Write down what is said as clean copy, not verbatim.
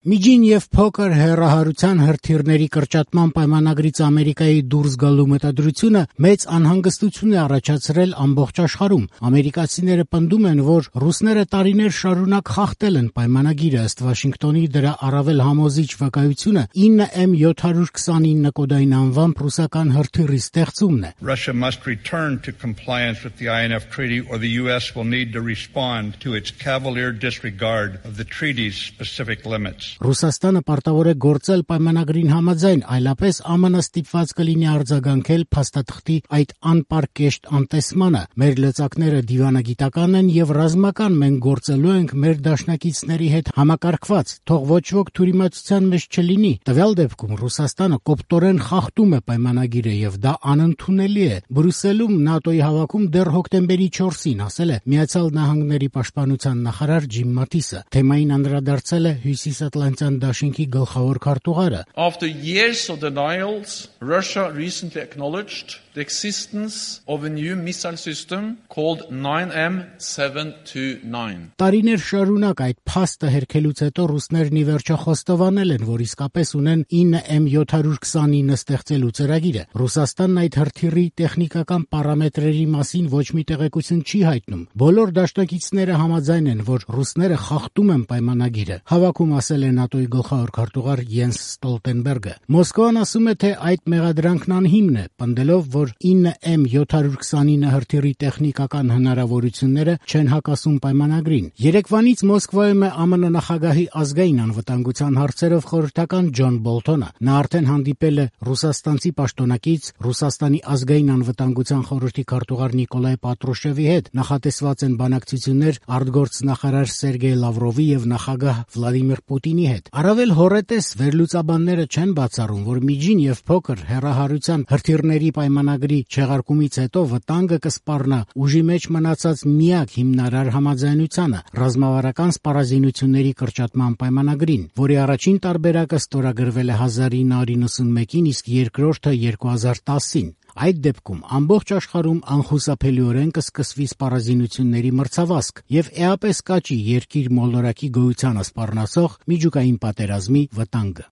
Միջին եւ փոքր հեռահարության հրթիռների կրճատման պայմանագրից Ամերիկայի դուրս գալու մտադրությունը մեծ անհանգստություն է առաջացրել ամբողջ աշխարհում։ Ամերիկացիները պնդում են, որ ռուսները տարիներ շարունակ խախտել են պայմանագիրը, ըստ Վաշինգտոնի դրա առավել համոզիչ վկայությունը 9M729 կոդային անվամբ ռուսական հրթիռի ստեղծումն է։ Russia must return to compliance with the INF Treaty or the US will need to respond to its cavalier disregard of the treaty's specific limits. Ռուսաստանը պարտավոր է գործել պայմանագրին համաձայն, այլապես ԱՄՆ ստիպված կլինի արձագանքել փաստաթղթի այդ անպարկեշտ անտեսմանը։ Մեր լծակները դիվանագիտական են եւ ռազմական, մենք գործելու ենք մեր դաշնակիցների հետ համակարգված, թող ոչ ոք թյուրիմացության մեջ չլինի։ Տվյալ դեպքում Ռուսաստանը կոպտորեն խախտում է պայմանագիրը եւ դա անընդունելի է։ Բրյուսելում ՆԱՏՕ-ի հավաքում դեռ հոկտեմբերի 4-ին ասել է Միացյալ Նահանգների պաշտպանության նախարար Ջիմ Մաթիսը։ Թեմային անդրադարձել է Հյուսիսատլանտյան դաշինքի գլխավոր քարտուղարը։ After years of denials, Russia recently acknowledged the existence of a new missile system called 9M729. Տարիներ շարունակ այդ փաստը հերքելուց հետո ռուսներն ի վերջո խոստովանել են, որ իսկապես ունեն 9M729 ստեղծելու ծրագիրը։ Ռուսաստանն այդ հրթիռի տեխնիկական պարամետրերի մասին ոչ մի տեղեկություն չի հայտնում։ Բոլոր դաշնակիցները համաձայն են, որ ռուսները խախտում են պայմանագիրը։ Հավաքում ասել է ՆԱՏՕ-ի գլխավոր քարտուղար Յենս Ստոլտենբերգը։ Մոսկվան ասում է, թե այդ մեղադրանքն անհիմն է, պնդելով, որ 9M729 հրթիռի տեխնիկական հնարավորությունները չեն հակասում պայմանագրին։ Երեկվանից Մոսկվայում է ԱՄՆ նախագահի ազգային անվտանգության հարցերով խորհրդական Ջոն Բոլթոնը։ Նա արդեն հանդիպել է ռուսաստանցի պաշտոնակից Ռուսաստանի ազգային անվտանգության խորհրդի քարտուղար Նիկոլայ Պատրուշևի հետ։ Նախատեսված են բանակցություններ արտգործնախարար Սերգեյ Լավրովի եւ նախագահ Վլադիմիր Պուտինի հետ։ Առավել հոռետես վերլուծաբանները չեն բացառում, որ միջին եւ փոքր հեռահարության հրթիռների պայմանագրի չեղարկումից հետո վտանգը կսպառնա ուժի մեջ մնացած միակ հիմնարար համաձայնությանը՝ ռազմավարական սպառազինությունների կրճատման պայմանագրին, որի առաջին տարբերակը ստորագրվել է 1991-ին, իսկ երկրորդը 2010-ին։ Այդ դեպքում ամբողջ աշխարհում անխուսափելիորեն կսկսվի սպառազինությունների մրցավազք եւ էապես կաճի երկիր մոլորակի գոյությանը սպառնացող միջուկային պատերազմի վտանգը։